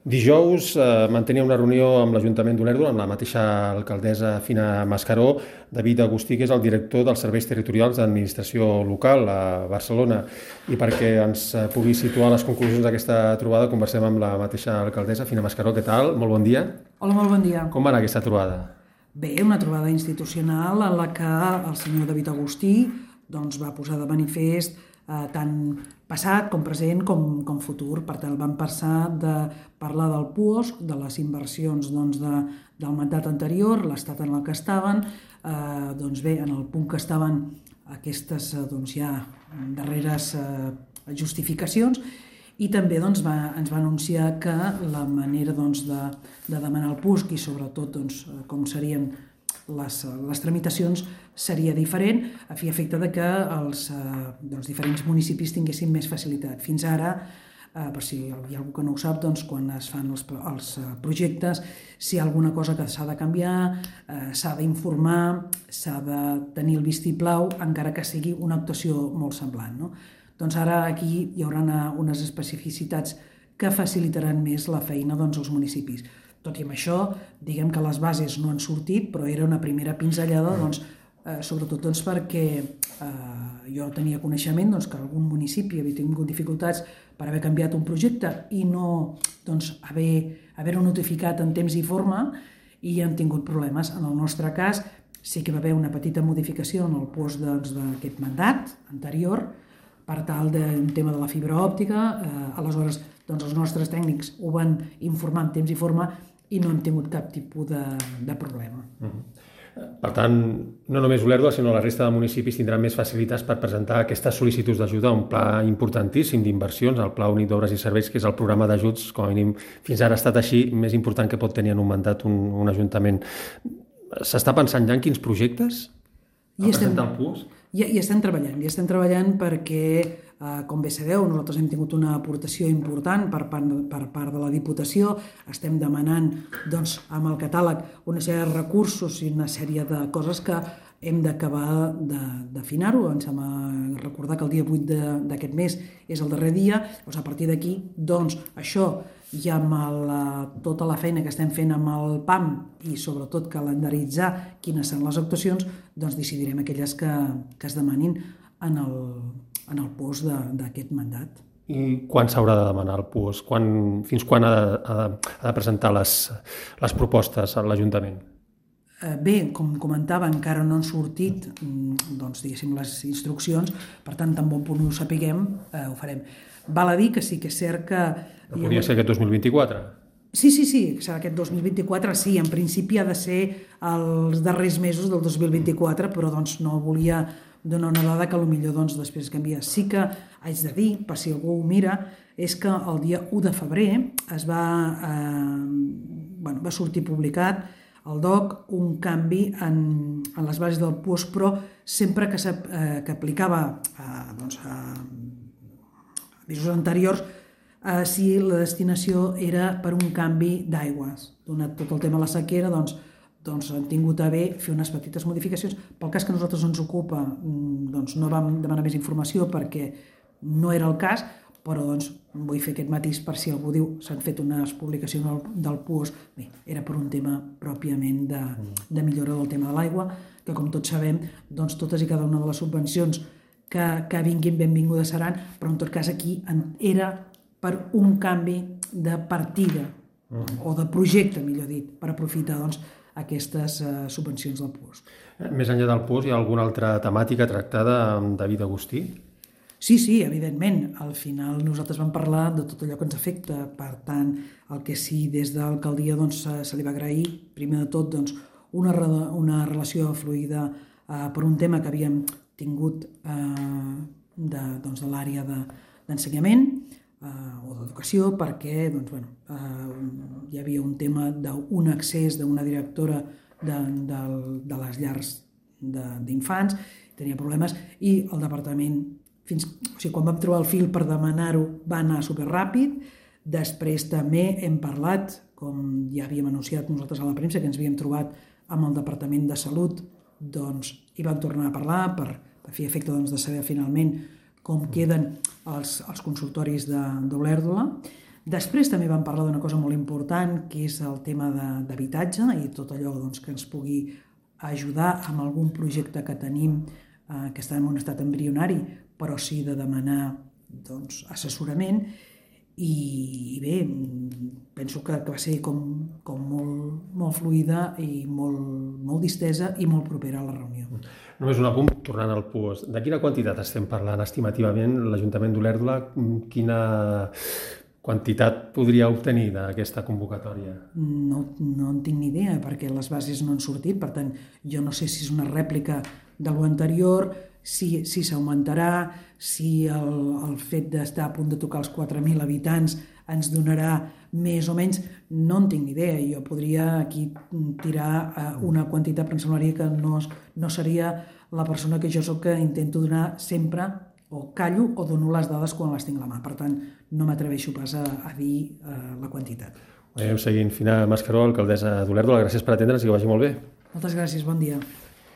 Dijous mantenia una reunió amb l'Ajuntament d'Olèrdola, amb la mateixa alcaldessa Fina Mascaró, David Agustí, que és el director dels Serveis Territorials d'Administració Local a Barcelona. I perquè ens pugui situar les conclusions d'aquesta trobada, conversem amb la mateixa alcaldessa Fina Mascaró. Què tal? Molt bon dia. Hola, molt bon dia. Com va anar aquesta trobada? Bé, una trobada institucional en la que el senyor David Agustí va posar de manifest tant passat com present com futur. Per tant, vam passar de parlar del PUOSC, de les inversions del mandat anterior, l'estat en el que estaven, bé, en el punt que estaven aquestes ja darreres justificacions, i també ens va anunciar que la manera de demanar el PUSC i sobretot com serien les tramitacions seria diferent, a fi i efecte que els diferents municipis tinguessin més facilitat. Fins ara, per si hi ha algú que no ho sap, quan es fan els projectes, si hi ha alguna cosa que s'ha de canviar, s'ha d'informar, s'ha de tenir el vistiplau, encara que sigui una actuació molt semblant, no? Doncs ara aquí hi haurà unes especificitats que facilitaran més la feina als municipis. Tot i amb això, diguem que les bases no han sortit, però era una primera pinzellada, sobretot perquè jo tenia coneixement que algun municipi havia tingut dificultats per haver canviat un projecte i no haver-ho notificat en temps i forma, i han tingut problemes. En el nostre cas sí que va haver una petita modificació en el POSC d'aquest mandat anterior, per tal d'un tema de la fibra òptica. Aleshores, els nostres tècnics ho van informar en temps i forma i no hem tingut cap tipus de problema. Per tant, no només Olèrdola, sinó la resta de municipis tindran més facilitats per presentar aquestes sol·licituds d'ajuda a un pla importantíssim d'inversions, el Pla Únic d'Obres i Serveis, que és el programa d'ajuts, com a mínim fins ara ha estat així, més important que pot tenir en un mandat un ajuntament. S'està pensant ja en quins projectes a presentar el PUSC? Hi estem treballant perquè, com bé sabeu, nosaltres hem tingut una aportació important per part de la Diputació. Estem demanant amb el catàleg una sèrie de recursos i una sèrie de coses que hem d'acabar d'afinar-ho. Ens hem de recordar que el dia 8 d'aquest mes és el darrer dia. A partir d'aquí, això i amb tota la feina que estem fent amb el PAM i sobretot calendaritzar quines són les actuacions, decidirem aquelles que es demanin en el POSC d'aquest mandat. I quan s'haurà de demanar el PUSC? Fins quan ha de presentar les propostes a l'Ajuntament? Bé, com comentava, encara no han sortit les instruccions, per tant, tan bon punt ho sapiguem, ho farem. Val a dir que sí que és cert que... Podria ser aquest 2024? Sí, serà aquest 2024, sí, en principi ha de ser els darrers mesos del 2024, però no volia donar una dada que potser després canvia. Sí que haig de dir, per si algú ho mira, és que el dia 1 de febrer va sortir publicat al DOC un canvi en les bases del PUSC, però sempre que aplicava a mesos anteriors, si la destinació era per un canvi d'aigües. Donat tot el tema de la sequera, han tingut a bé fer unes petites modificacions. Pel cas que a nosaltres ens ocupa, no vam demanar més informació perquè no era el cas, però vull fer aquest matís per si algú diu s'han fet unes publicacions del PUSC. Bé, era per un tema pròpiament de millora del tema de l'aigua, que com tots sabem, totes i cada una de les subvencions que vinguin benvingudes seran, però en tot cas aquí era per un canvi de partida, o de projecte, millor dit, per aprofitar aquestes subvencions del PUSC. Més enllà del PUSC, hi ha alguna altra temàtica tractada amb David Agustí? Sí, evidentment. Al final nosaltres vam parlar de tot allò que ens afecta. Per tant, el que sí des de l'alcaldia se li va agrair, primer de tot, una relació fluida per un tema que havíem tingut de l'àrea d'ensenyament o d'educació, perquè hi havia un tema d'un accés d'una directora de les llars d'infants, tenia problemes, i el departament, quan vam trobar el fil per demanar-ho, va anar superràpid. Després també hem parlat, com ja havíem anunciat nosaltres a la premsa, que ens havíem trobat amb el Departament de Salut, hi vam tornar a parlar per fer efecte de saber finalment com queden els consultoris d'Olèrdola. Després també vam parlar d'una cosa molt important, que és el tema d'habitatge i tot allò que ens pugui ajudar amb algun projecte que tenim que està en un estat embrionari, però sí de demanar assessorament. I bé, penso que va ser com molt fluida i molt distesa i molt propera a la reunió. Només un apunt, tornant al PUOS. De quina quantitat estem parlant estimativament? L'Ajuntament d'Olèrdola, quina quantitat podria obtenir d'aquesta convocatòria? No en tinc ni idea, perquè les bases no han sortit, per tant, jo no sé si és una rèplica de l'anterior, si s'augmentarà, si el fet d'estar a punt de tocar els 4.000 habitants ens donarà més o menys, no en tinc ni idea. Jo podria aquí tirar una quantitat, però em semblaria que no seria la persona que jo soc, que intento donar sempre, o callo o dono les dades quan les tinc a la mà. Per tant, no m'atreveixo pas a dir la quantitat. Anem seguint. Fina Mascaró, alcaldessa d'Olèrdola, gràcies per atendre'ns i que vagi molt bé. Moltes gràcies, bon dia.